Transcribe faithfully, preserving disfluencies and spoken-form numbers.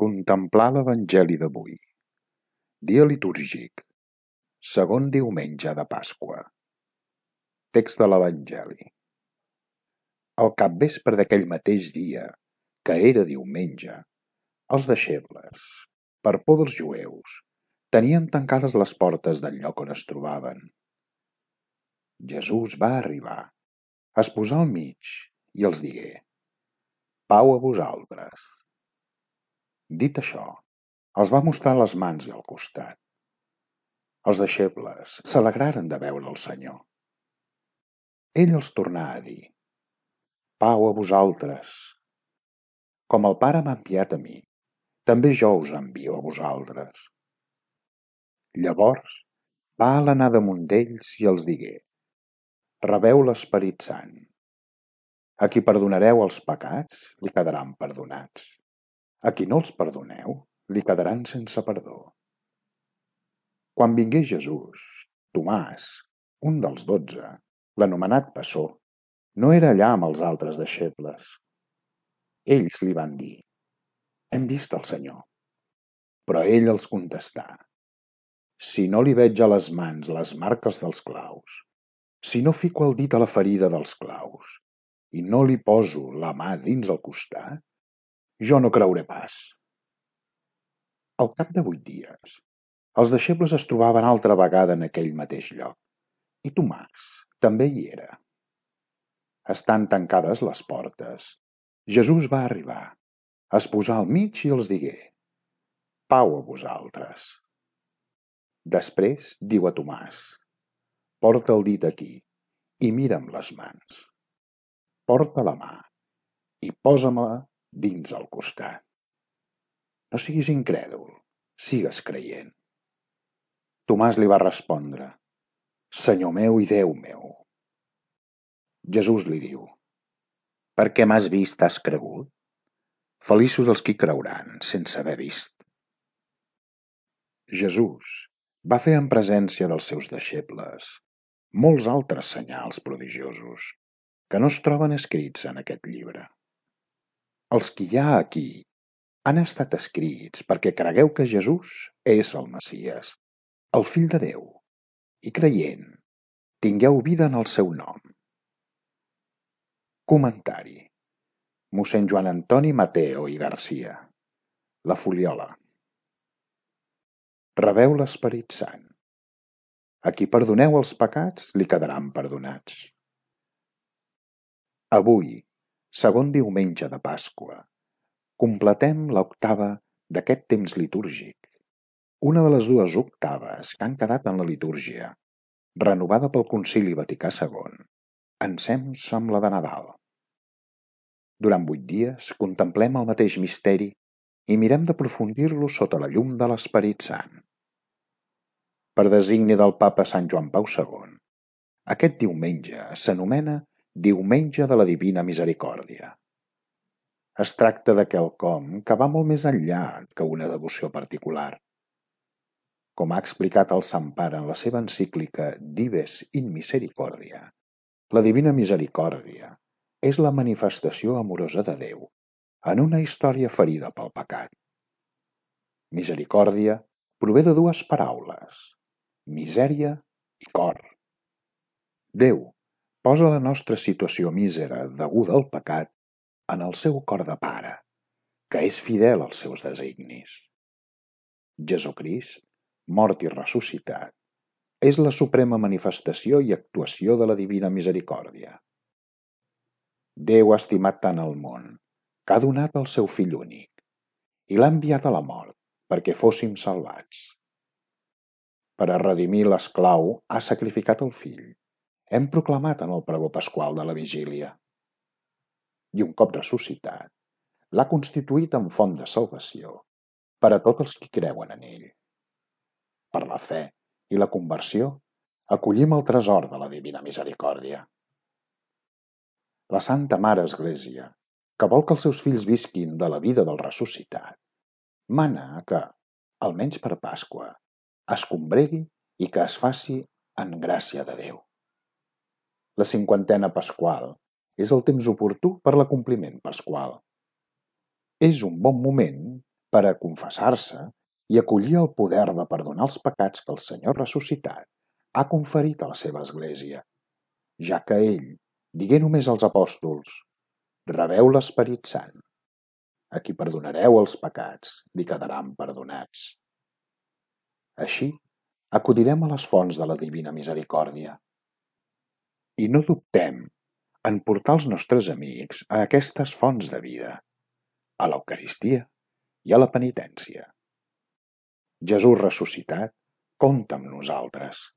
Contemplar l'Evangeli d'avui. Dia litúrgic. Segon diumenge de Pasqua. Text de l'Evangeli. Al capvespre d'aquell mateix dia, que era diumenge, els deixebles, per por dels jueus, tenien tancades les portes del lloc on es trobaven. Jesús va arribar, es posà al mig i els digué: Pau a vosaltres. Dit això, els va mostrar les mans i el costat. Els deixebles s'alegraren de veure el Senyor. Ell els tornà a dir: Pau a vosaltres. Com el Pare m'ha enviat a mi, també jo us envio a vosaltres. Llavors va alenar damunt d'ells i els digué: Rebeu l'Esperit Sant. A qui perdonareu els pecats, li quedaran perdonats. A qui no els perdoneu, li quedaran sense perdó. Quan vingué Jesús, Tomàs, un dels dotze, l'anomenat Bessó, no era allà amb els altres deixebles. Ells li van dir: Hem vist el Senyor. Però ell els contestà: Si no li veig a les mans les marques dels claus, si no fico el dit a la ferida dels claus i no li poso la mà dins el costat, jo no creuré pas. Al cap de vuit dies, els deixebles es trobaven altra vegada en aquell mateix lloc, i Tomàs també hi era. Estant tancades les portes, Jesús va arribar, es posà al mig i els digué: Pau a vosaltres. Després diu a Tomàs: Porta el dit aquí i mira'm les mans. Porta la mà i posa-me-la dins el costat. No siguis incrèdul, sigues creient. Tomàs li va respondre: Senyor meu i Déu meu. Jesús li diu: Perquè m'has vist has cregut? Feliços els qui creuran sense haver vist. Jesús va fer en presència dels seus deixebles molts altres senyals prodigiosos que no es troben escrits en aquest llibre. Els que hi ha aquí han estat escrits perquè cregueu que Jesús és el Messies, el Fill de Déu, i creient, tingueu vida en el seu nom. Comentari: mossèn Joan Antoni Mateo i Garcia. La Foliola. Rebeu l'Esperit Sant. A qui perdoneu els pecats, li quedaran perdonats. Avui, segon diumenge de Pasqua, completem l'octava d'aquest temps litúrgic, una de les dues octaves que han quedat en la litúrgia, renovada pel Concili Vaticà segon, ensems amb la de Nadal. Durant vuit dies contemplem el mateix misteri i mirem d'aprofundir-lo sota la llum de l'Esperit Sant. Per designi del Papa Sant Joan Pau segon, aquest diumenge s'anomena Diumenge de la Divina Misericòrdia. Es tracta de quelcom que va molt més enllà que una devoció particular. Com ha explicat el Sant Pare en la seva encíclica Dives in Misericordia, la Divina Misericòrdia és la manifestació amorosa de Déu en una història ferida pel pecat. Misericòrdia prové de dues paraules: misèria i cor. Déu posa la nostra situació mísera deguda al pecat en el seu cor de pare, que és fidel als seus designis. Jesucrist, mort i ressuscitat, és la suprema manifestació i actuació de la Divina Misericòrdia. Déu ha estimat tant el món, que ha donat el seu fill únic, i l'ha enviat a la mort perquè fóssim salvats. Per a redimir l'esclau ha sacrificat el fill. Hem proclamat en el pregó pasqual de la vigília. I un cop ressuscitat, l'ha constituït en font de salvació per a tots els qui creuen en ell. Per la fe i la conversió, acollim el tresor de la Divina Misericòrdia. La Santa Mare Església, que vol que els seus fills visquin de la vida del ressuscitat, mana que, almenys per Pasqua, es combregui i que es faci en gràcia de Déu. La cinquantena pasqual és el temps oportú per l'acompliment pasqual. És un bon moment per a confessar-se i acollir el poder de perdonar els pecats que el Senyor ressuscitat ha conferit a la seva Església, ja que ell digué només als apòstols: «Rebeu l'Esperit Sant. A qui perdonareu els pecats, li quedaran perdonats». Així, acudirem a les fonts de la divina misericòrdia. I no dubtem en portar els nostres amics a aquestes fonts de vida, a l'Eucaristia i a la penitència. Jesús ressuscitat, compta amb nosaltres.